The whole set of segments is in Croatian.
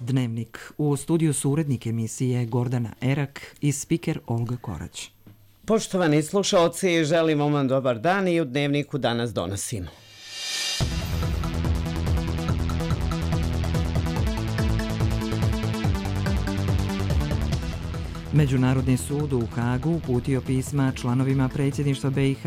Dnevnik. U studiju su urednik emisije Gordana Erak i spiker Olga Korać. Poštovani slušaoci, želimo vam dobar dan i u Dnevniku danas donosimo. Međunarodni sud u Hagu uputio pisma članovima predsjedništva BiH.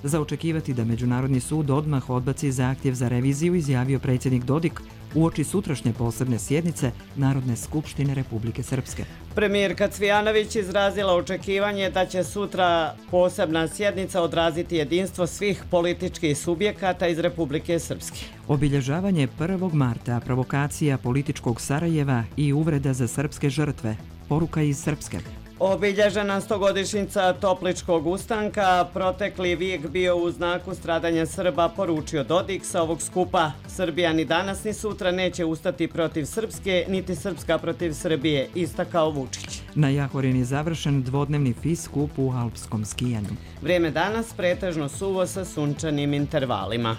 Za očekivati da Međunarodni sud odmah odbaci zahtjev za reviziju, izjavio predsjednik Dodik uoči sutrašnje posebne sjednice Narodne skupštine Republike Srpske. Premijerka Cvijanović izrazila očekivanje da će sutra posebna sjednica odraziti jedinstvo svih političkih subjekata iz Republike Srpske. Obilježavanje 1. marta, provokacija političkog Sarajeva i uvreda za srpske žrtve. Poruka iz Srpske. Obilježena 100-godišnjica Topličkog ustanka, protekli vijek bio u znaku stradanja Srba, poručio Dodik sa ovog skupa. Srbija ni danas ni sutra neće ustati protiv Srpske, niti Srpska protiv Srbije, istakao Vučić. Na Jahorini je završen dvodnevni FIS skup u alpskom skijanju. Vrijeme danas pretežno suvo sa sunčanim intervalima.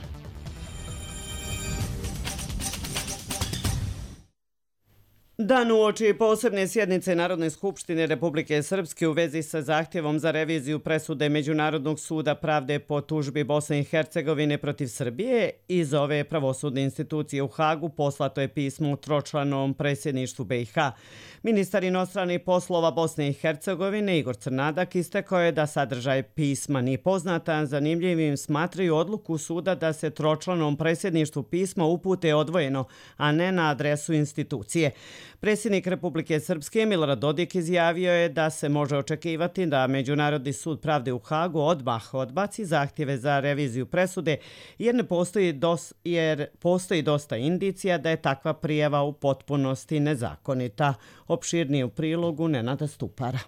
Dan uoči posebne sjednice Narodne skupštine Republike Srpske u vezi sa zahtjevom za reviziju presude Međunarodnog suda pravde po tužbi Bosne i Hercegovine protiv Srbije iz ove pravosudne institucije u Hagu poslato je pismo tročlanom predsjedništvu BiH. Ministar inostranih poslova Bosne i Hercegovine Igor Crnadak istakao je da sadržaj pisma nije poznata. Zanimljivim smatraju odluku suda da se tročlanom predsjedništvu pisma upute odvojeno, a ne na adresu institucije. Predsjednik Republike Srpske Milorad Dodik izjavio je da se može očekivati da Međunarodni sud pravde u Hagu odmah odbaci zahtjeve za reviziju presude jer postoji dosta indicija da je takva prijava u potpunosti nezakonita. Opširnije u prilogu Nenada Stupara.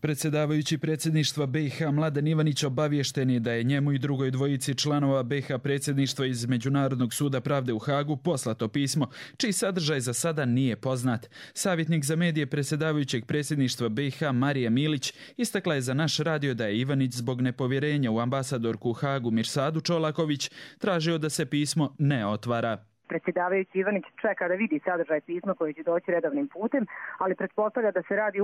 Predsjedavajući predsjedništva BiH Mladen Ivanić obaviješten je da je njemu i drugoj dvojici članova BiH predsjedništva iz Međunarodnog suda pravde u Hagu poslato pismo, čiji sadržaj za sada nije poznat. Savjetnik za medije predsjedavajućeg predsjedništva BiH Marija Milić istakla je za naš radio da je Ivanić zbog nepovjerenja u ambasadorku u Hagu Mirsadu Čolaković tražio da se pismo ne otvara. Predsjedavajući Ivanić čeka da vidi sadržaj pisma koji će doći redovnim putem, ali pretpostavlja da se radi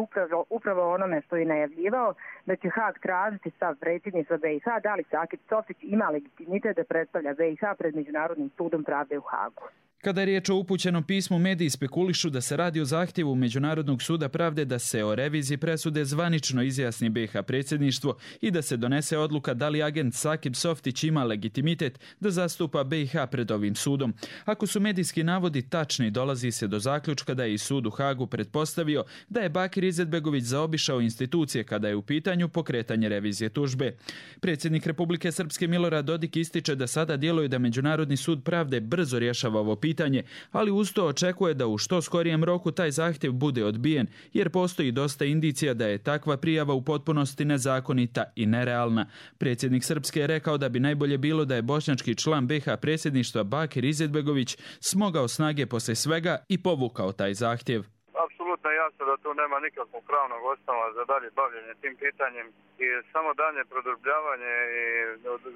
upravo o onome što je najavljivao, da će Hag tražiti stav predsjedništva BiH, da li Sakip Softić ima legitimitet da predstavlja BiH pred Međunarodnim sudom pravde u Hagu. Kada je riječ o upućenom pismu, mediji spekulišu da se radi o zahtjevu Međunarodnog suda pravde da se o reviziji presude zvanično izjasni BiH predsjedništvo i da se donese odluka da li agent Sakip Softić ima legitimitet da zastupa BiH pred ovim sudom. Ako su medijski navodi tačni, dolazi se do zaključka da je i sud u Hagu pretpostavio da je Bakir Izetbegović zaobišao institucije kada je u pitanju pokretanje revizije tužbe. Predsjednik Republike Srpske Milorad Dodik ističe da sada djeluje da Međunarodni sud pravde brzo rješava ovo pitanje, ali uz to očekuje da u što skorijem roku taj zahtjev bude odbijen, jer postoji dosta indicija da je takva prijava u potpunosti nezakonita i nerealna. Predsjednik Srpske je rekao da bi najbolje bilo da je bošnjački član BiH predsjedništva Bakir Izetbegović smogao snage poslije svega i povukao taj zahtjev. Apsolutno jasno da tu nema nikakvog pravnog osnova za dalje bavljenje tim pitanjem i samo dalje produbljavanje i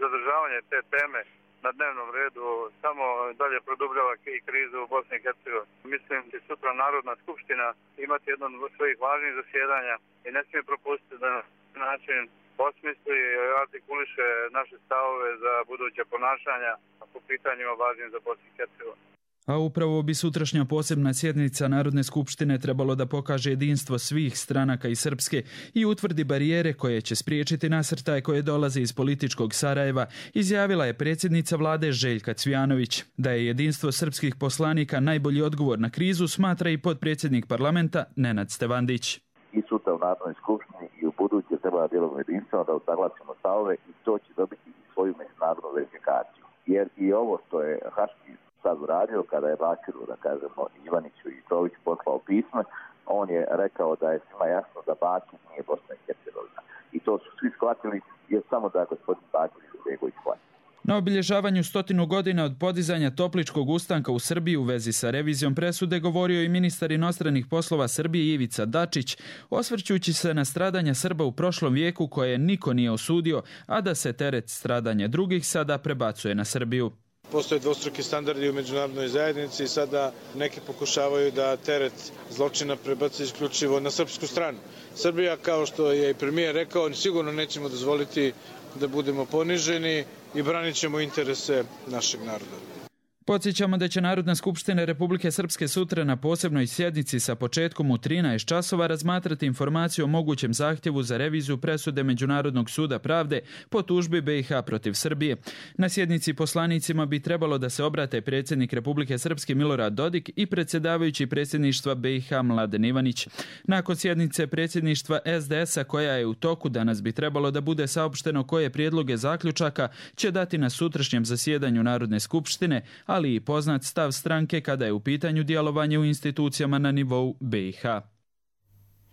zadržavanje te teme na dnevnom redu samo dalje produbljava i krizu u Bosni i Hercegovini. Mislim da sutra Narodna skupština imati jedno od svojih važnih zasjedanja i ne smije propustiti da na način osmisli i artikuliše naše stavove za buduće ponašanja po pitanjima važnim za Bosnu i Hercegovinu. A upravo bi sutrašnja posebna sjednica Narodne skupštine trebalo da pokaže jedinstvo svih stranaka iz Srpske i utvrdi barijere koje će spriječiti nasrtaje koje dolaze iz političkog Sarajeva, izjavila je predsjednica vlade Željka Cvijanović. Da je jedinstvo srpskih poslanika najbolji odgovor na krizu, smatra i potpredsjednik parlamenta Nenad Stevandić. I sutra u Narodnoj skupštini i u buduće treba djelom jedinstveno da usaglasimo stavove i to će dobiti i svoju međunarodnu verifikaciju. Jer i ovo što je Haški sad uradio, kada je Bakiru, da kažemo, Ivaniću i Tović poslao pismo, on je rekao da je svima jasno da Bakir nije Bosna i Hercegovina. I to su svi shvatili, jer samo da gospodin Bakir Izetbegović shvati. Na obilježavanju 100 godina od podizanja Topličkog ustanka u Srbiji u vezi sa revizijom presude govorio i ministar inostranih poslova Srbije Ivica Dačić, osvrćući se na stradanja Srba u prošlom vijeku koje niko nije osudio, a da se teret stradanja drugih sada prebacuje na Srbiju. Postoje dvostruki standardi u međunarodnoj zajednici i sada neki pokušavaju da teret zločina prebace isključivo na srpsku stranu. Srbija, kao što je i premijer rekao, sigurno nećemo dozvoliti da budemo poniženi i branit ćemo interese našeg naroda. Podsjećamo da će Narodna skupština Republike Srpske sutra na posebnoj sjednici sa početkom u 13 časova razmatrati informaciju o mogućem zahtjevu za reviziju presude Međunarodnog suda pravde po tužbi BiH protiv Srbije. Na sjednici poslanicima bi trebalo da se obrate predsjednik Republike Srpske Milorad Dodik i predsjedavajući predsjedništva BiH Mladen Ivanić. Nakon sjednice predsjedništva SDS-a koja je u toku, danas bi trebalo da bude saopšteno koje prijedloge zaključaka će dati na sutrašnjem zasjedanju Narodne skupštine, ali i poznat stav stranke kada je u pitanju djelovanje u institucijama na nivou BiH.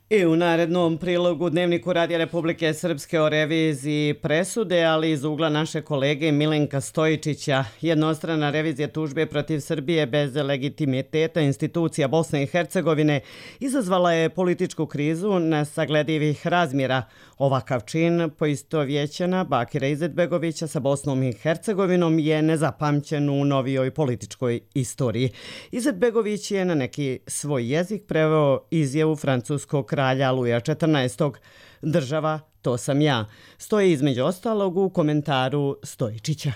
I u narednom prilogu Dnevniku Radija Republike Srpske o reviziji presude, ali iz ugla naše kolege Milenka Stojičića, jednostrana revizija tužbe protiv Srbije bez legitimiteta institucija Bosne i Hercegovine izazvala je političku krizu nesagledivih razmjera. Ovakav čin poistovjećena Bakira Izetbegovića sa Bosnom i Hercegovinom je nezapamćen u novijoj političkoj istoriji. Izetbegović je na neki svoj jezik preveo izjavu francuskog kralja Luja XIV. Država, to sam ja. Stoji između ostalog u komentaru Stojičića.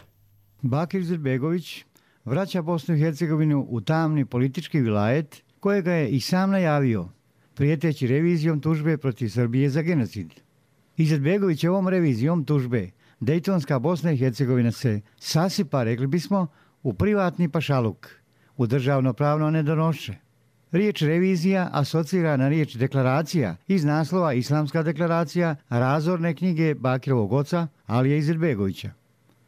Bakir Izetbegović vraća Bosnu i Hercegovinu u tamni politički vilajet kojega je i sam najavio, prijeteći revizijom tužbe protiv Srbije za genocid. Izetbegović ovom revizijom tužbe Dejtonska Bosna i Hercegovina se sasipa, rekli bismo, u privatni pašaluk, u državno pravno nedonošće. Riječ revizija asocira na riječ deklaracija iz naslova Islamska deklaracija, razorne knjige Bakirovog oca Alije Izetbegovića.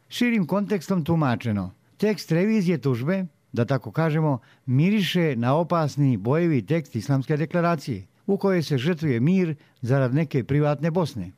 Širim kontekstom tumačeno, tekst revizije tužbe, da tako kažemo, miriše na opasni bojevi tekst Islamske deklaracije, u kojoj se žrtvuje mir zarad neke privatne Bosne.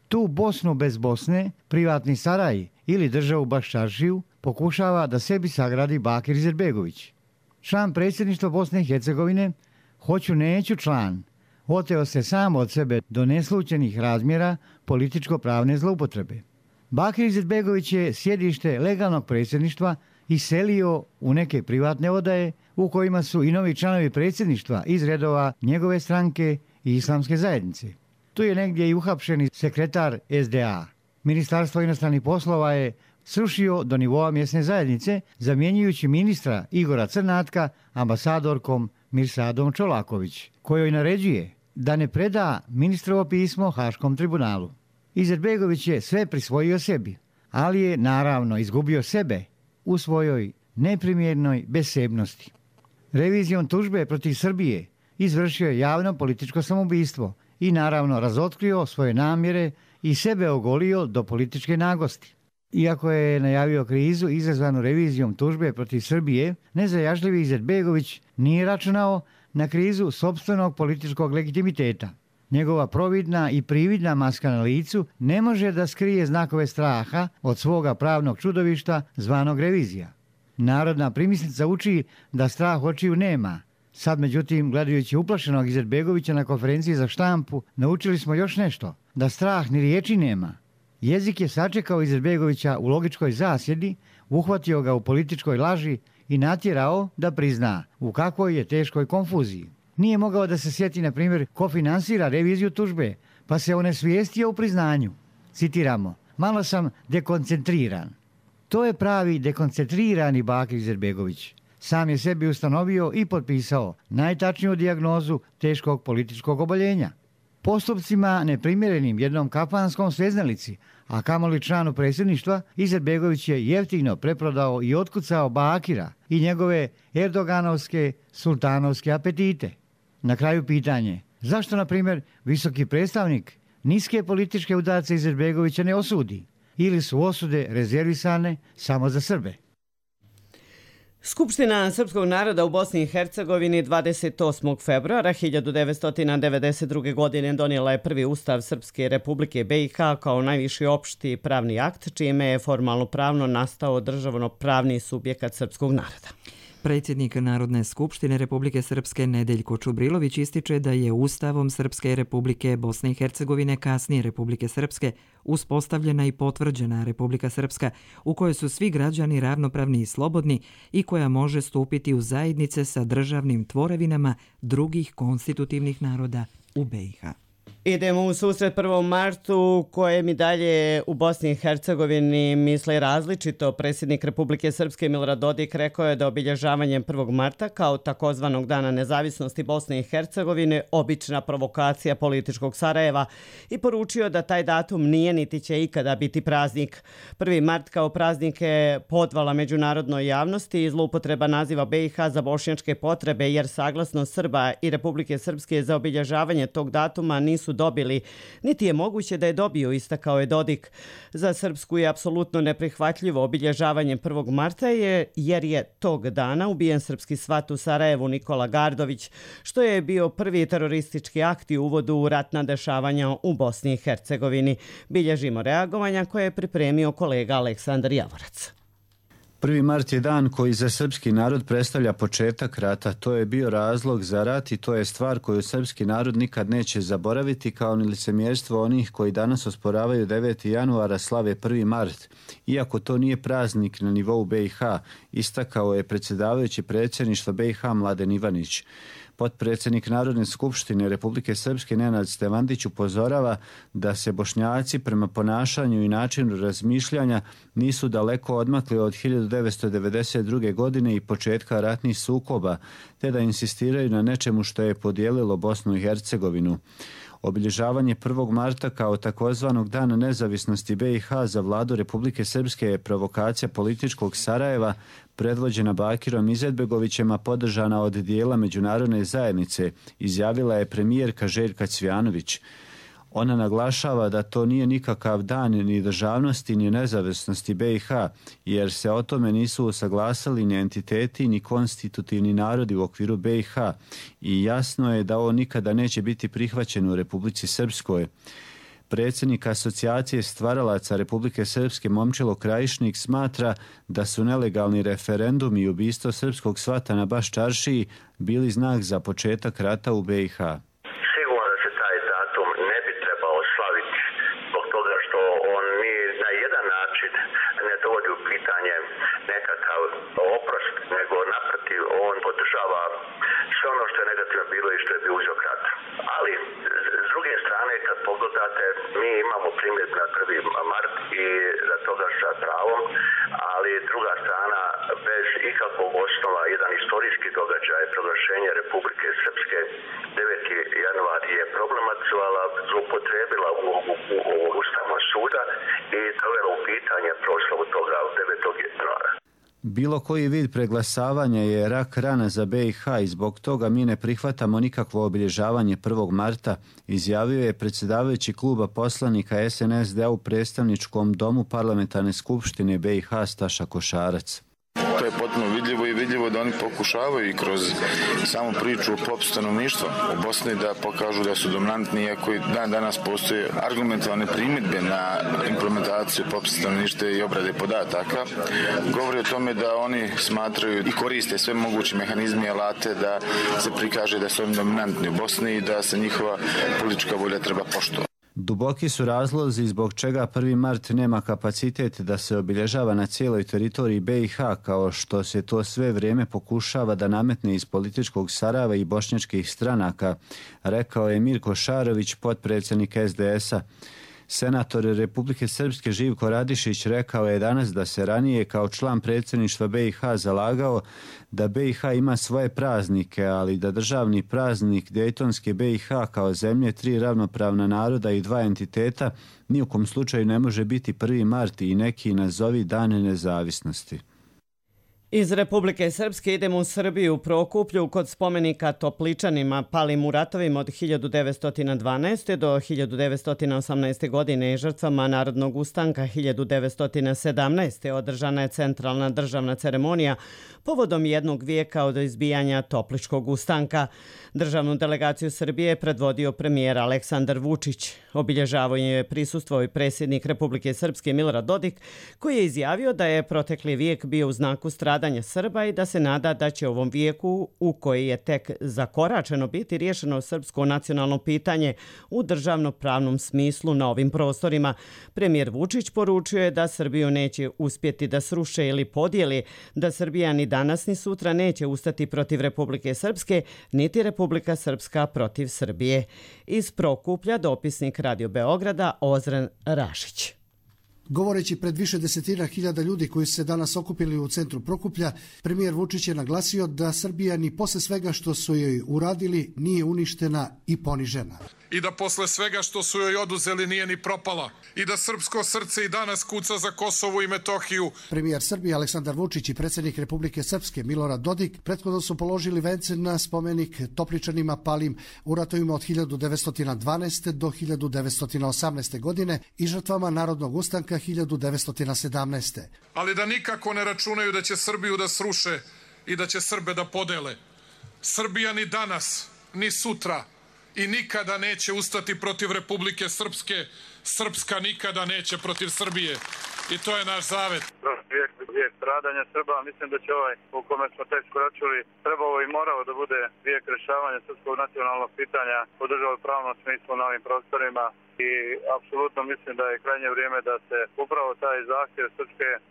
Tu Bosnu bez Bosne, privatni Saraj ili državu Baščaršiju pokušava da sebi sagradi Bakir Izetbegović. Član predsjedništva Bosne i Hercegovine, hoću neću član, oteo se sam od sebe do neslućenih razmjera političko-pravne zloupotrebe. Bakir Izetbegović je sjedište legalnog predsjedništva iselio u neke privatne odaje u kojima su i novi članovi predsjedništva iz redova njegove stranke i islamske zajednice. Tu je negdje i uhapšeni sekretar SDA. Ministarstvo inostranih poslova je srušio do nivoa mjesne zajednice, zamjenjujući ministra Igora Crnatka ambasadorkom Mirsadom Čolaković, kojoj naređuje da ne preda ministrovo pismo Haškom tribunalu. Izetbegović je sve prisvojio sebi, ali je naravno izgubio sebe u svojoj neprimjernoj besebnosti. Revizijom tužbe protiv Srbije izvršio je javno političko samoubistvo i naravno razotkrio svoje namjere i sebe ogolio do političke nagosti. Iako je najavio krizu izazvanu revizijom tužbe protiv Srbije, nezajažljivi Izetbegović nije računao na krizu sopstvenog političkog legitimiteta. Njegova providna i prividna maska na licu ne može da skrije znakove straha od svoga pravnog čudovišta zvanog revizija. Narodna primislica uči da strah očiju nema. Sad, međutim, gledajući uplašenog Izetbegovića na konferenciji za štampu, naučili smo još nešto, da strah ni riječi nema. Jezik je sačekao Izetbegovića u logičkoj zasjedi, uhvatio ga u političkoj laži i natjerao da prizna u kakvoj je teškoj konfuziji. Nije mogao da se sjeti, na primjer, ko finansira reviziju tužbe, pa se onesvijestio u priznanju. Citiramo, malo sam dekoncentriran. To je pravi dekoncentrirani Bakir Izetbegović. Sam je sebi ustanovio i potpisao najtačniju dijagnozu teškog političkog oboljenja. Postupcima neprimjerenim jednom kafanskom sveznalici, a kamoli članu predsjedništva, Izetbegović je jeftino preprodao i otkucao Bakira i njegove erdoganovske, sultanovske apetite. Na kraju pitanje, zašto, na primjer, visoki predstavnik niske političke udarce Izetbegovića ne osudi? Ili su osude rezervisane samo za Srbe? Skupština srpskog naroda u Bosni i Hercegovini 28. februara 1992. godine donijela je prvi ustav Srpske republike BiH kao najviši opšti pravni akt, čime je formalno pravno nastao državno pravni subjekat srpskog naroda. Predsjednik Narodne skupštine Republike Srpske Nedeljko Čubrilović ističe da je Ustavom Srpske Republike Bosne i Hercegovine, kasnije Republike Srpske, uspostavljena i potvrđena Republika Srpska u kojoj su svi građani ravnopravni i slobodni i koja može stupiti u zajednice sa državnim tvorevinama drugih konstitutivnih naroda u BiH. Idemo u susret 1. martu, kojem i dalje u Bosni i Hercegovini misle različito. Predsjednik Republike Srpske Milorad Dodik rekao je da obilježavanjem 1. marta kao takozvanog Dana nezavisnosti Bosne i Hercegovine obična provokacija političkog Sarajeva i poručio da taj datum nije niti će ikada biti praznik. 1. mart kao praznik je podvala međunarodnoj javnosti i zloupotreba naziva BiH za bošnjačke potrebe, jer saglasno Srba i Republike Srpske za obilježavanje tog datuma nisu dobili, niti je moguće da je dobiju, istakao je Dodik. Za Srpsku je apsolutno neprihvatljivo obilježavanje 1. marta jer je tog dana ubijen srpski svat u Sarajevu Nikola Gardović, što je bio prvi teroristički akt i uvod u ratna dešavanja u Bosni i Hercegovini. Bilježimo reagovanja koje je pripremio kolega Aleksandar Javorac. 1. mart je dan koji za srpski narod predstavlja početak rata. To je bio razlog za rat i to je stvar koju srpski narod nikad neće zaboraviti, kao ni licemjerstvo onih koji danas osporavaju 9. januara slave 1. mart. Iako to nije praznik na nivou BiH, istakao je predsjedavajući predsjedništva BiH Mladen Ivanić. Potpredsjednik Narodne skupštine Republike Srpske Nenad Stevandić upozorava da se Bošnjaci prema ponašanju i načinu razmišljanja nisu daleko odmakli od 1992. godine i početka ratnih sukoba, te da insistiraju na nečemu što je podijelilo Bosnu i Hercegovinu. Obilježavanje 1. marta kao takozvanog Dana nezavisnosti BiH za vladu Republike Srpske je provokacija političkog Sarajeva predvođena Bakirom Izetbegovićem, a podržana od dijela međunarodne zajednice, izjavila je premijerka Željka Cvijanović. Ona naglašava da to nije nikakav dan ni državnosti ni nezavisnosti BiH, jer se o tome nisu usaglasili ni entiteti ni konstitutivni narodi u okviru BiH i jasno je da ovo nikada neće biti prihvaćeno u Republici Srpskoj. Predsjednik Asocijacije stvaralaca Republike Srpske Momčilo Krajišnik smatra da su nelegalni referendumi i ubistvo srpskog svata na Baš Čaršiji bili znak za početak rata u BiH. Mi imamo primjer na 1. mart i za toga sa pravom, ali druga strana bez ikakvog osnova, jedan istorijski događaj, proglašenje Republike Srpske 9. januar je problematizovala, zloupotrebila u Ustavnog suda i dovela u pitanje proslavu toga 9. januara. Bilo koji vid preglasavanja je rak rana za BiH i zbog toga mi ne prihvatamo nikakvo obilježavanje 1. marta, izjavio je predsjedavajući kluba poslanika SNSD u predstavničkom domu parlamentarne skupštine BiH Staša Košarac. To je potpuno vidljivo i vidljivo da oni pokušavaju i kroz samu priču o popisu stanovništva u Bosni da pokažu da su dominantni, iako i dan danas postoje argumentovane primjedbe na implementaciju popisa stanovništva i obrade podataka. Govori o tome da oni smatraju i koriste sve moguće mehanizme i alate da se prikaže da su oni dominantni u Bosni i da se njihova politička volja treba poštovati. Duboki su razlozi zbog čega 1. mart nema kapacitet da se obilježava na cijeloj teritoriji BiH, kao što se to sve vrijeme pokušava da nametne iz političkog Sarajeva i bošnjačkih stranaka, rekao je Mirko Šarović, potpredsjednik SDS-a. Senator Republike Srpske Živko Radišić rekao je danas da se ranije kao član predsjedništva BiH zalagao da BiH ima svoje praznike, ali da državni praznik Dejtonske BiH kao zemlje 3 ravnopravna naroda i 2 entiteta ni u kom slučaju ne može biti 1. mart i neki nazovi Dan nezavisnosti. Iz Republike Srpske idemo u Srbiju, Prokuplju, kod spomenika Topličanima palim u ratovima od 1912. do 1918. godine i žrtvama Narodnog ustanka 1917. održana je centralna državna ceremonija povodom jednog vijeka od izbijanja Topličkog ustanka. Državnu delegaciju Srbije predvodio premijer Aleksandar Vučić. Obilježavanje je prisustvovao i predsjednik Republike Srpske Milorad Dodik, koji je izjavio da je protekli vijek bio u znaku stradanja stradanje Srba i da se nada da će ovom vijeku, u koji je tek zakoračeno, biti riješeno srpsko nacionalno pitanje u državno-pravnom smislu na ovim prostorima. Premijer Vučić poručio je da Srbiju neće uspjeti da sruše ili podijeli, da Srbija ni danas ni sutra neće ustati protiv Republike Srpske, niti Republika Srpska protiv Srbije. Iz Prokuplja dopisnik Radio Beograda Ozren Rašić. Govoreći pred više desetina hiljada ljudi koji su se danas okupili u centru Prokuplja, premijer Vučić je naglasio da Srbija ni posle svega što su joj uradili nije uništena i ponižena. I da posle svega što su joj oduzeli nije ni propala. I da srpsko srce i danas kuca za Kosovo i Metohiju. Premijer Srbije Aleksandar Vučić i predsjednik Republike Srpske Milorad Dodik prethodno su položili vence na spomenik Topličanima palim u ratovima od 1912. do 1918. godine i žrtvama Narodnog ustanka 1917. Ali da nikako ne računaju da će Srbiju da sruše i da će Srbe da podele. Srbija ni danas, ni sutra i nikada neće ustati protiv Republike Srpske. Srpska nikada neće protiv Srbije. I to je naš zavet. Vijek stradanja Srba, mislim da će ovaj u kome smo tek skoračuli trebalo i morao da bude vijek rješavanja srpskog nacionalnog pitanja u državno-pravnom smislu na ovim prostorima. I apsolutno mislim da je krajnje vrijeme da se upravo taj zahtjev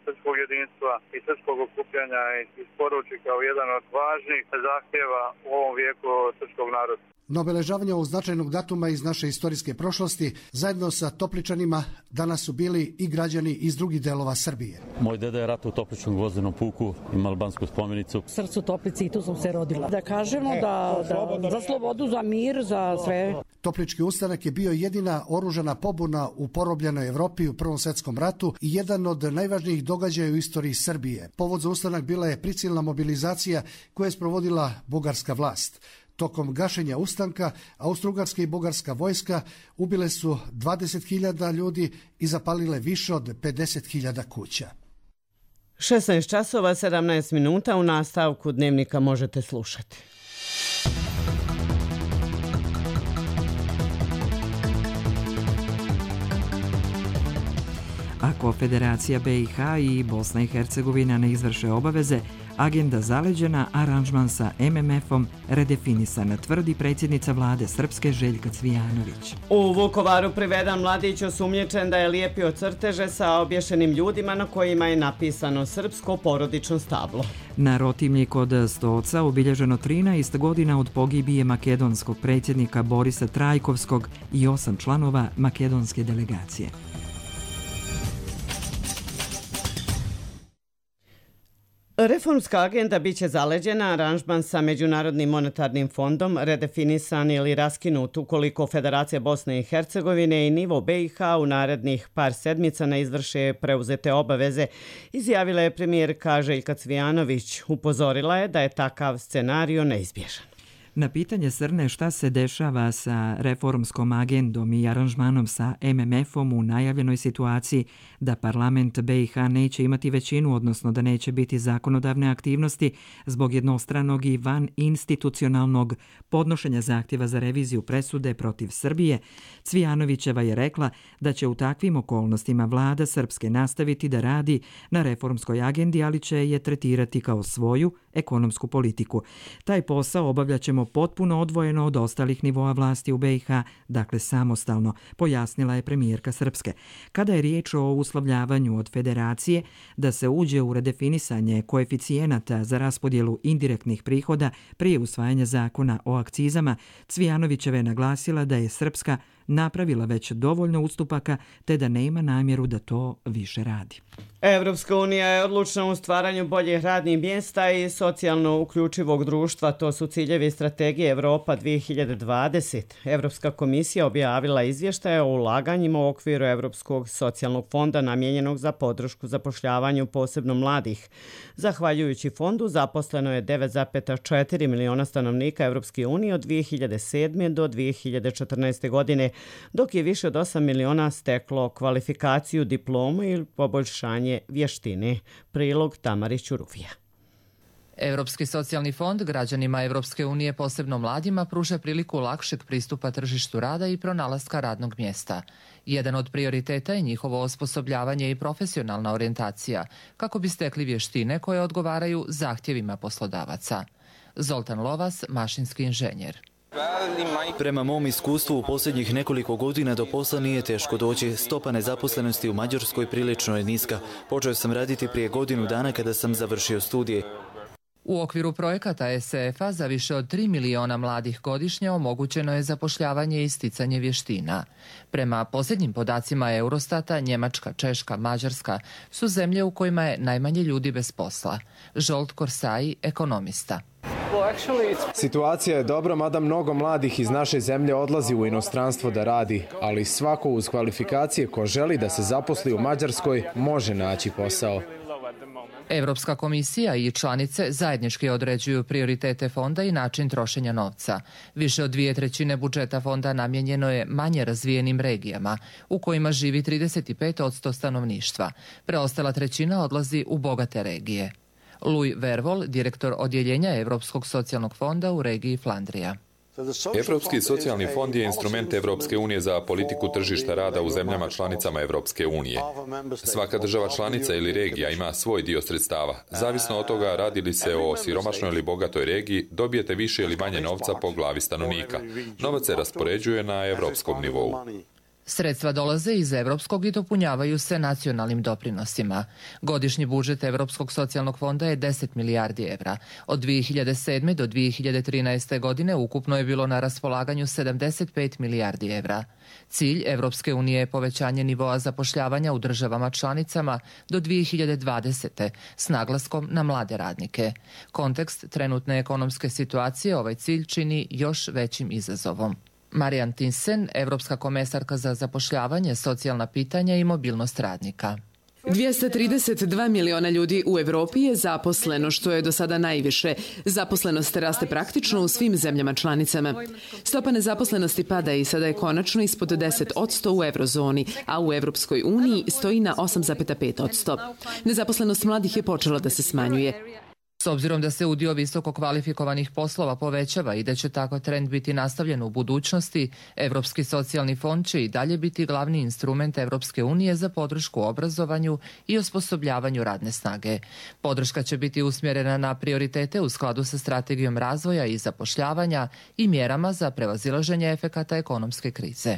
srpskog jedinstva i srpskog okupljanja isporuči kao jedan od važnih zahtjeva u ovom vijeku srpskog naroda. Na obeležavanje ovog značajnog datuma iz naše istorijske prošlosti, zajedno sa Topličanima danas su bili i građani iz drugih delova Srbije. Moj deda je ratao u Topličkom gvozdenom puku, ima albansku spomenicu. Srcu Toplici i tu sam se rodila. Da kažemo da za slobodu, za mir, za sve. Toplički ustanak je bio jedina oružana pobuna u porobljenoj Evropi u Prvom svjetskom ratu i jedan od najvažnijih događaja u istoriji Srbije. Povod za ustanak bila je prisilna mobilizacija koju je sprovodila bugarska vlast. Tokom gašenja ustanka, austrougarska i bugarska vojska ubile su 20.000 ljudi i zapalile više od 50.000 kuća. 16 časova 17 minuta u nastavku dnevnika možete slušati. Ako Federacija BiH i Bosna i Hercegovina ne izvrše obaveze, agenda zaleđena, aranžman sa MMF-om redefinisana, tvrdi predsjednica vlade Srpske Željka Cvijanović. U Vukovaru priveden mladić osumnjičen da je lijepio crteže sa obješenim ljudima na kojima je napisano srpsko porodično stablo. Na rotimlji kod Stoca obilježeno 13 godina od pogibije makedonskog predsjednika Borisa Trajkovskog i 8 članova makedonske delegacije. Reformska agenda biće zaleđena, aranžman sa Međunarodnim monetarnim fondom redefinisan ili raskinut ukoliko Federacija Bosne i Hercegovine i nivo BiH u narednih par sedmica ne izvrše preuzete obaveze, izjavila je premijerka Željka Cvijanović. Upozorila je da je takav scenario neizbježan. Na pitanje Srne šta se dešava sa reformskom agendom i aranžmanom sa MMF-om u najavljenoj situaciji da parlament BiH neće imati većinu, odnosno da neće biti zakonodavne aktivnosti zbog jednostranog i van institucionalnog podnošenja zahtjeva za reviziju presude protiv Srbije, Cvijanovićeva je rekla da će u takvim okolnostima vlada Srpske nastaviti da radi na reformskoj agendi, ali će je tretirati kao svoju ekonomsku politiku. Taj posao obavljaćemo potpuno odvojeno od ostalih nivoa vlasti u BiH, dakle samostalno, pojasnila je premijerka Srpske. Kada je riječ o uslovljavanju od federacije da se uđe u redefinisanje koeficijenata za raspodjelu indirektnih prihoda prije usvajanja zakona o akcizama, Cvijanovićeva je naglasila da je Srpska napravila već dovoljno ustupaka te da nema namjeru da to više radi. Evropska unija je odlučna u stvaranju boljih radnih mjesta i socijalno uključivog društva. To su ciljevi strategije Evropa 2020. Evropska komisija objavila izvještaje o ulaganjima u okviru Evropskog socijalnog fonda namijenjenog za podršku zapošljavanju posebno mladih. Zahvaljujući fondu zaposleno je 9,4 miliona stanovnika Evropske unije od 2007. do 2014. godine, dok je više od 8 miliona steklo kvalifikaciju, diplomu ili poboljšanje vještine. Prilog Tamari Ćuruvija. Europski socijalni fond građanima Evropske unije, posebno mladima, pruža priliku lakšeg pristupa tržištu rada i pronalaska radnog mjesta. Jedan od prioriteta je njihovo osposobljavanje i profesionalna orijentacija, kako bi stekli vještine koje odgovaraju zahtjevima poslodavaca. Zoltan Lovas, mašinski inženjer. Prema mom iskustvu u posljednjih nekoliko godina do posla nije teško doći. Stopa nezaposlenosti u Mađarskoj prilično je niska. Počeo sam raditi prije godinu dana kada sam završio studije. U okviru projekata SF-a za više od 3 miliona mladih godišnje omogućeno je zapošljavanje i sticanje vještina. Prema posljednjim podacima Eurostata, Njemačka, Češka, Mađarska su zemlje u kojima je najmanje ljudi bez posla. Žolt Korsai, ekonomista. Situacija je dobra, mada mnogo mladih iz naše zemlje odlazi u inostranstvo da radi, ali svako uz kvalifikacije ko želi da se zaposli u Mađarskoj može naći posao. Europska komisija i članice zajednički određuju prioritete fonda i način trošenja novca. Više od 2/3 budžeta fonda namijenjeno je manje razvijenim regijama, u kojima živi 35% stanovništva. Preostala trećina odlazi u bogate regije. Louis Vervol, direktor odjeljenja Europskog socijalnog fonda u regiji Flandrija. Europski socijalni fond je instrument Evropske unije za politiku tržišta rada u zemljama članicama Evropske unije. Svaka država članica ili regija ima svoj dio sredstava. Zavisno od toga radi li se o siromašnoj ili bogatoj regiji, dobijete više ili manje novca po glavi stanovnika. Novac se raspoređuje na evropskom nivou. Sredstva dolaze iz evropskog i dopunjavaju se nacionalnim doprinosima. Godišnji budžet Europskog socijalnog fonda je 10 milijardi evra. Od 2007. do 2013. godine ukupno je bilo na raspolaganju 75 milijardi evra. Cilj Evropske unije je povećanje nivoa zapošljavanja u državama članicama do 2020. s naglaskom na mlade radnike. Kontekst trenutne ekonomske situacije ovaj cilj čini još većim izazovom. Marijan Thyssen, Evropska komesarka za zapošljavanje, socijalna pitanja i mobilnost radnika. 232 miliona ljudi u Evropi je zaposleno, što je do sada najviše. Zaposlenost raste praktično u svim zemljama članicama. Stopa nezaposlenosti pada i sada je konačno ispod 10% u eurozoni, a u Evropskoj uniji stoji na 8,5%. Nezaposlenost mladih je počela da se smanjuje. S obzirom da se udio visoko kvalifikovanih poslova povećava i da će tako trend biti nastavljen u budućnosti, Europski socijalni fond će i dalje biti glavni instrument Evropske unije za podršku obrazovanju i osposobljavanju radne snage. Podrška će biti usmjerena na prioritete u skladu sa strategijom razvoja i zapošljavanja i mjerama za prevazilaženje efekata ekonomske krize.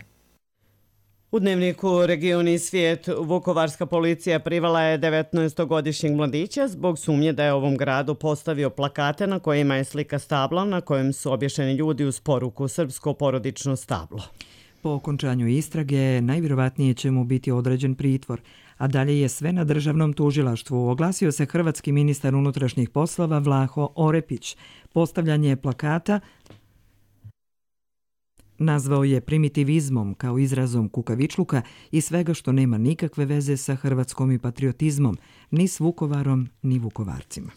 U dnevniku Region i svijet vukovarska policija privala je 19-godišnjeg mladića zbog sumnje da je ovom gradu postavio plakate na kojima je slika stabla na kojem su obješeni ljudi uz poruku srpsko porodično stablo. Po okončanju istrage najvjerovatnije će mu biti određen pritvor, a dalje je sve na državnom tužilaštvu. Oglasio se hrvatski ministar unutrašnjih poslova Vlaho Orepić. Postavljanje plakata nazvao je primitivizmom kao izrazom kukavičluka i svega što nema nikakve veze sa hrvatskom i patriotizmom, ni s Vukovarom, ni Vukovarcima.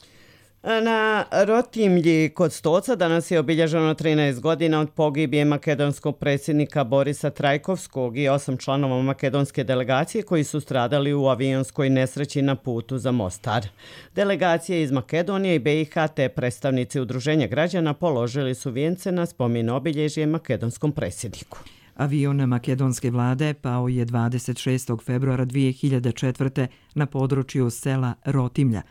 Na Rotimlji kod Stoca danas je obilježeno 13 godina od pogibije makedonskog predsjednika Borisa Trajkovskog i 8 članova makedonske delegacije koji su stradali u avionskoj nesreći na putu za Mostar. Delegacije iz Makedonije i BiH te predstavnici udruženja građana položili su vijence na spomen obilježje makedonskom predsjedniku. Avion makedonske vlade pao je 26. februara 2004. na području sela Rotimlja.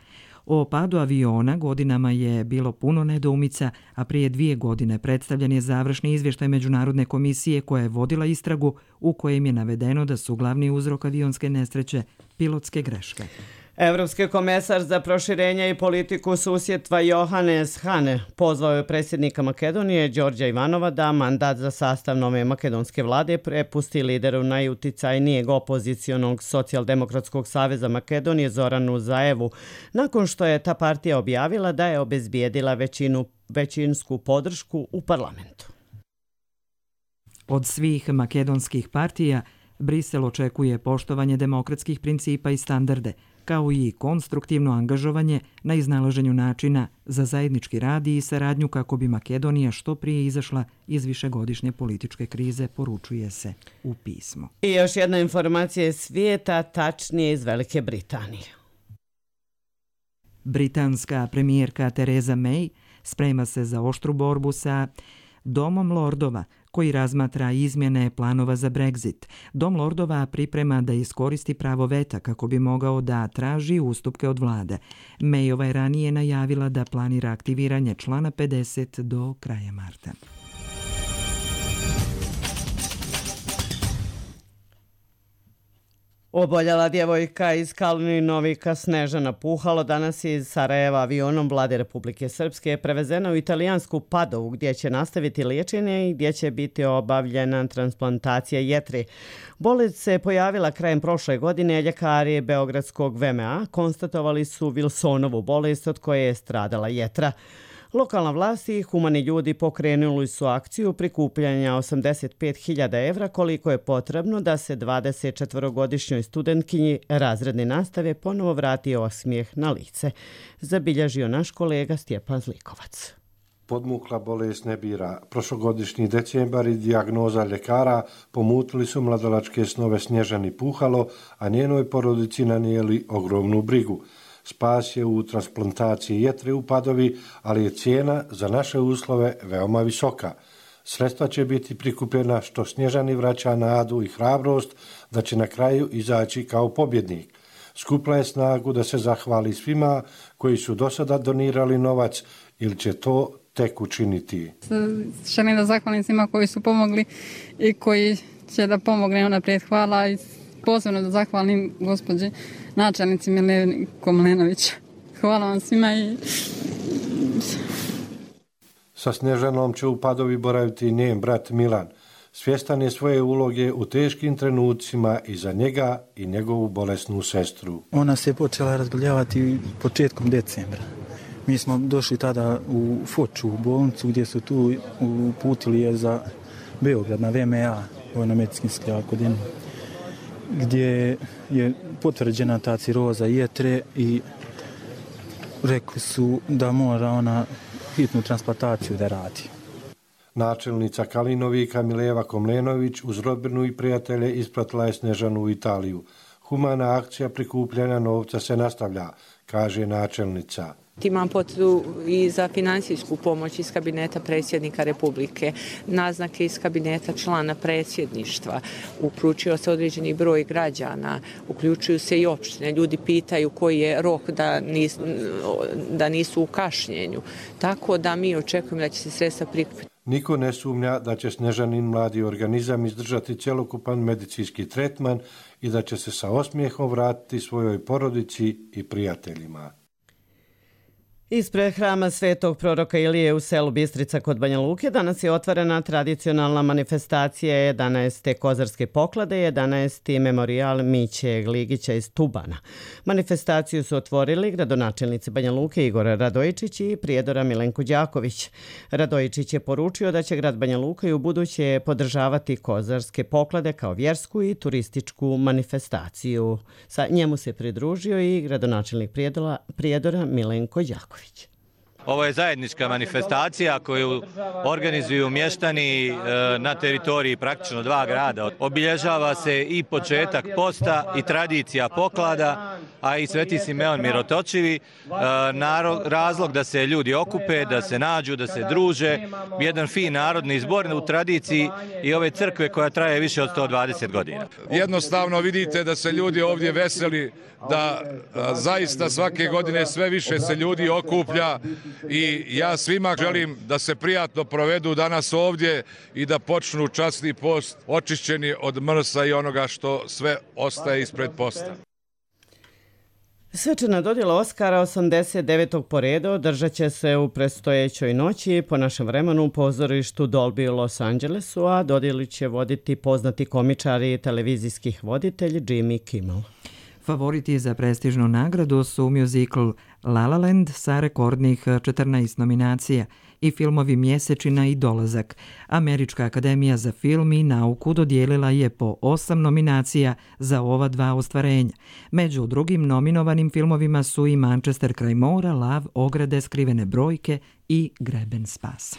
O padu aviona godinama je bilo puno nedoumica, a prije 2 godine predstavljen je završni izvještaj Međunarodne komisije koja je vodila istragu u kojem je navedeno da su glavni uzrok avionske nesreće pilotske greške. Evropski komesar za proširenje i politiku susjedstva Johannes Hahn pozvao je predsjednika Makedonije Đorđa Ivanova da mandat za sastav nove makedonske vlade prepusti lideru najuticajnijeg opozicionog socijaldemokratskog saveza Makedonije Zoranu Zaevu, nakon što je ta partija objavila da je obezbijedila većinsku podršku u parlamentu. Od svih makedonskih partija Brisel očekuje poštovanje demokratskih principa i standarde, kao i konstruktivno angažovanje na iznalaženju načina za zajednički rad i saradnju kako bi Makedonija što prije izašla iz višegodišnje političke krize, poručuje se u pismu. I još jedna informacija iz svijeta, tačnije iz Velike Britanije. Britanska premijerka Theresa May sprema se za oštru borbu sa Domom lordova, koji razmatra izmjene planova za Brexit. Dom lordova priprema da iskoristi pravo veta kako bi mogao da traži ustupke od vlade. Mayova je ranije najavila da planira aktiviranje člana 50 do kraja marta. Oboljela djevojka iz Kalninovika Snežana Puhalo danas je iz Sarajeva avionom Vlade Republike Srpske prevezena u italijansku Padovu gdje će nastaviti liječenje i gdje će biti obavljena transplantacija jetre. Bolest se pojavila krajem prošle godine, ljekari Beogradskog VMA konstatovali su Wilsonovu bolest od koje je stradala jetra. Lokalna vlast i humani ljudi pokrenuli su akciju prikupljanja 85.000 evra koliko je potrebno da se 24-godišnjoj studentkinji razredne nastave ponovo vrati osmijeh na lice, zabilježio naš kolega Stjepan Zlikovac. Podmukla bolest ne bira. Prošlogodišnji decembar i dijagnoza ljekara pomutili su mladalačke snove Snježani Puhalo, a njenoj porodici nanijeli ogromnu brigu. Spas je u transplantaciji jetre u Padovi, ali je cijena za naše uslove veoma visoka. Sredstva će biti prikupljena što Snježani vraća nadu i hrabrost da će na kraju izaći kao pobjednik. Skupla je snagu da se zahvali svima koji su do sada donirali novac ili će to tek učiniti. Želim da zahvalim svima koji su pomogli i koji će da pomogne unaprijed. Hvala i posebno da zahvalim gospođi načelnici Mileni Komlenović. Hvala vam svima i... Sa Snježanom će u Padovi boraviti njen brat Milan. Svjestan je svoje uloge u teškim trenucima i za njega i njegovu bolesnu sestru. Ona se počela razboljavati početkom decembra. Mi smo došli tada u Foču, u bolnicu, gdje su tu uputili je za Beograd na VMA, Vojno-medicinski akademiju, gdje je potvrđena ta ciroza jetre i rekli su da mora ona hitnu transplantaciju da radi. Načelnica Kalinovika Mileva Komlenović uz rodbinu i prijatelje ispratila je Snježanu u Italiju. Humana akcija prikupljanja novca se nastavlja, kaže načelnica. Imam potrebu i za financijsku pomoć iz kabineta predsjednika Republike, naznake iz kabineta člana predsjedništva, uključio se određeni broj građana, uključuju se i opštine. Ljudi pitaju koji je rok da nisu u kašnjenju. Tako da mi očekujemo da će se sredstva prikupiti. Niko ne sumnja da će Snježanin mladi organizam izdržati cjelokupan medicinski tretman i da će se sa osmijehom vratiti svojoj porodici i prijateljima. Ispred hrama Svetog proroka Ilije u selu Bistrica kod Banja Luke danas je otvorena tradicionalna manifestacija 11. kozarske poklade, 11. memorijal Miće Gligića iz Tubana. Manifestaciju su otvorili gradonačelnici Banja Luke Igor Radojičić i prijedora Milenko Đaković. Radojičić je poručio da će grad Banja Luka i u buduće podržavati kozarske poklade kao vjersku i turističku manifestaciju. Sa njemu se pridružio i gradonačelnik prijedora Milenko Đaković. Ovo je zajednička manifestacija koju organizuju mještani na teritoriji praktično dva grada. Obilježava se i početak posta i tradicija poklada, a i Sveti Simeon Mirotočivi. Razlog da se ljudi okupe, da se nađu, da se druže. Jedan fin narodni zbor u tradiciji i ove crkve koja traje više od 120 godina. Jednostavno vidite da se ljudi ovdje veseli, da zaista svake godine sve više se ljudi okuplja i ja svima želim da se prijatno provedu danas ovdje i da počnu časni post očišćeni od mrsa i onoga što sve ostaje ispred posta. Svečana dodjela Oskara 89. po redu održat će se u predstojećoj noći po našem vremenu u pozorištu Dolby u Los Angelesu, a dodjelu će voditi poznati komičar i televizijskih voditelj Jimmy Kimmel. Favoriti za prestižnu nagradu su muzikl La La Land sa rekordnih 14 nominacija i filmovi Mjesečina i Dolazak. Američka akademija za film i nauku dodijelila je po 8 nominacija za ova dva ostvarenja. Među drugim nominovanim filmovima su i Manchester kraj mora, Lav, Ograde, Skrivene brojke i Greben spasa.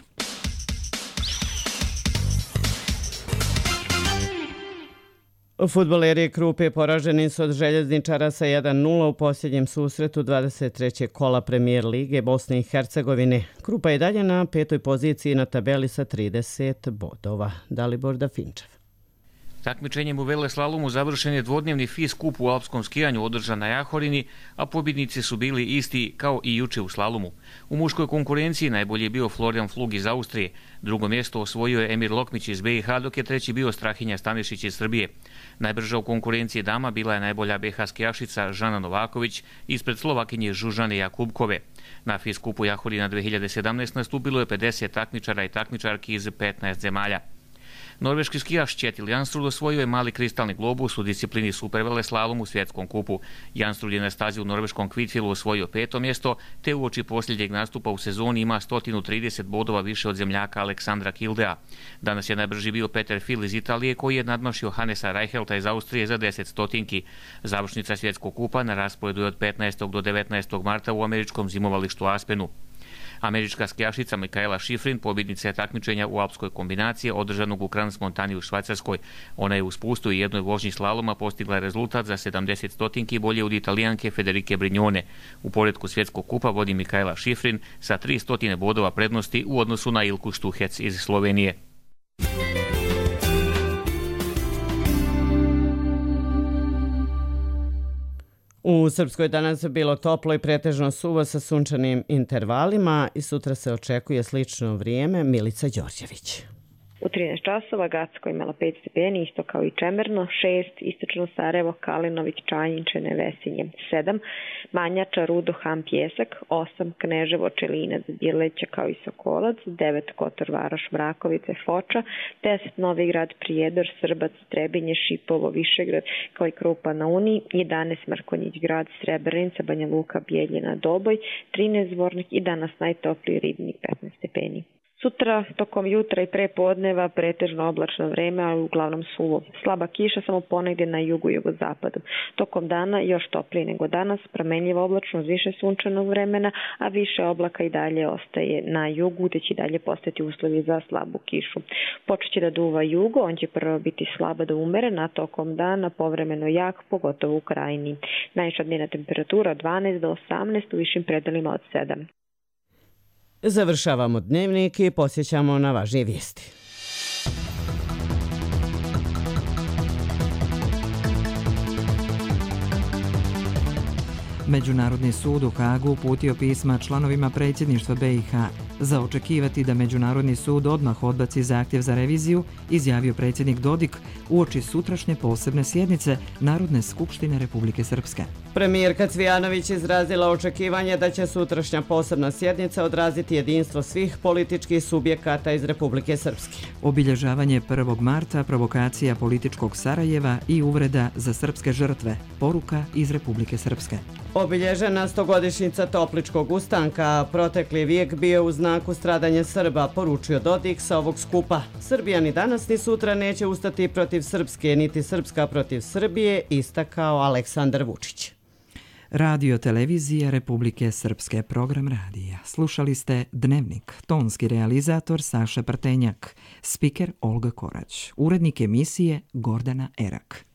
Fudbaleri Krupe poraženi su od Željezničara sa 1-0 u posljednjem susretu 23. kola Premijer Lige Bosne i Hercegovine. Krupa je dalje na 5. poziciji na tabeli sa 30 bodova. Dalibor Dafinčev. Takmičenjem u veleslalomu završen je dvodnevni FIS kup u alpskom skijanju održan na Jahorini, a pobjednici su bili isti kao i juče u slalomu. U muškoj konkurenciji najbolji je bio Florian Flug iz Austrije, drugo mjesto osvojio je Emir Lokmić iz BiH, dok je treći bio Strahinja Stanišić iz Srbije. Najbrža u konkurenciji dama bila je najbolja BiH skijašica Žana Novaković ispred Slovakinje Žužane Jakubkove. Na FIS kupu Jahorina 2017 nastupilo je 50 takmičara i takmičarki iz 15 zemalja. Norveški skijaš Kjetil Jansrud osvojio je mali kristalni globus u disciplini superveleslalom u svjetskom kupu. Jansrud je na stazi u norveškom Kvitfilu osvojio 5. mjesto, te uoči posljednjeg nastupa u sezoni ima 130 bodova više od zemljaka Aleksandra Kildea. Danas je najbrži bio Peter Fil iz Italije, koji je nadmašio Hannesa Reichelta iz Austrije za 10 stotinki. Završnica svjetskog kupa na rasporedu je od 15. do 19. marta u američkom zimovalištu Aspenu. Američka skijašica Mikaela Šifrin pobjednica je takmičenja u alpskoj kombinaciji održanog u Crans Montani u Švajcarskoj. Ona je u spustu i jednoj vožnji slaloma postigla rezultat za 70 stotinki bolje od Italijanke Federike Brignone. U poretku svjetskog kupa vodi Mikaela Šifrin sa 300 bodova prednosti u odnosu na Ilku Štuhec iz Slovenije. U Srpskoj danas bilo toplo i pretežno suvo sa sunčanim intervalima i sutra se očekuje slično vrijeme. Milica Đorđević. U 13 časova Gacko imala 5 stepeni, isto kao i Čemerno, 6, istočno Sarajevo, Kalinović, Čanjinčene, Vesinje, 7, Manjača, Rudo, Ham, Pjesak, 8, Kneževo, Čelinac, Bjeleća kao i Sokolac, 9, Kotor, Varoš, Mrakovice, Foča, 10, Novigrad, Prijedor, Srbac, Trebinje, Šipovo, Višegrad kao i Krupa na Uni, 11, Mrkonjić grad, Srebrenica, Banja Luka, Bijeljina, Doboj, 13, Zvornik i danas najtopliji Ribnik, 15 stepeni. Sutra, tokom jutra i prepodneva, pretežno oblačno vreme, ali uglavnom suvo. Slaba kiša samo ponegdje na jugu i jugozapadu. Tokom dana još toplije nego danas, promenljivo oblačno uz više sunčanog vremena, a više oblaka i dalje ostaje na jugu, te će dalje postati uslovi za slabu kišu. Počeće da duva jugo, on će prvo biti slaba do umerena, tokom dana povremeno jak, pogotovo u krajini. Najviša dnevna temperatura od 12 do 18, u višim predelima od 7. Završavamo dnevnik i posjećamo na važnije vijesti. Međunarodni sud u Hagu uputio pisma članovima predsjedništva BiH. Za očekivati da Međunarodni sud odmah odbaci zahtjev za reviziju, izjavio predsjednik Dodik uoči sutrašnje posebne sjednice Narodne skupštine Republike Srpske. Premijerka Cvijanović izrazila očekivanje da će sutrašnja posebna sjednica odraziti jedinstvo svih političkih subjekata iz Republike Srpske. Obilježavanje 1. marta, provokacija političkog Sarajeva i uvreda za srpske žrtve, poruka iz Republike Srpske. Obilježena 100-godišnjica Topličkog ustanka, protekli vijek bio u znaku stradanja Srba, poručio Dodik sa ovog skupa. Srbija ni danas ni sutra neće ustati protiv Srpske, niti Srpska protiv Srbije, istakao Aleksandar Vučić. Radio televizija Republike Srpske, program radija. Slušali ste Dnevnik, tonski realizator Saša Prtenjak, spiker Olga Korać, urednik emisije Gordana Erak.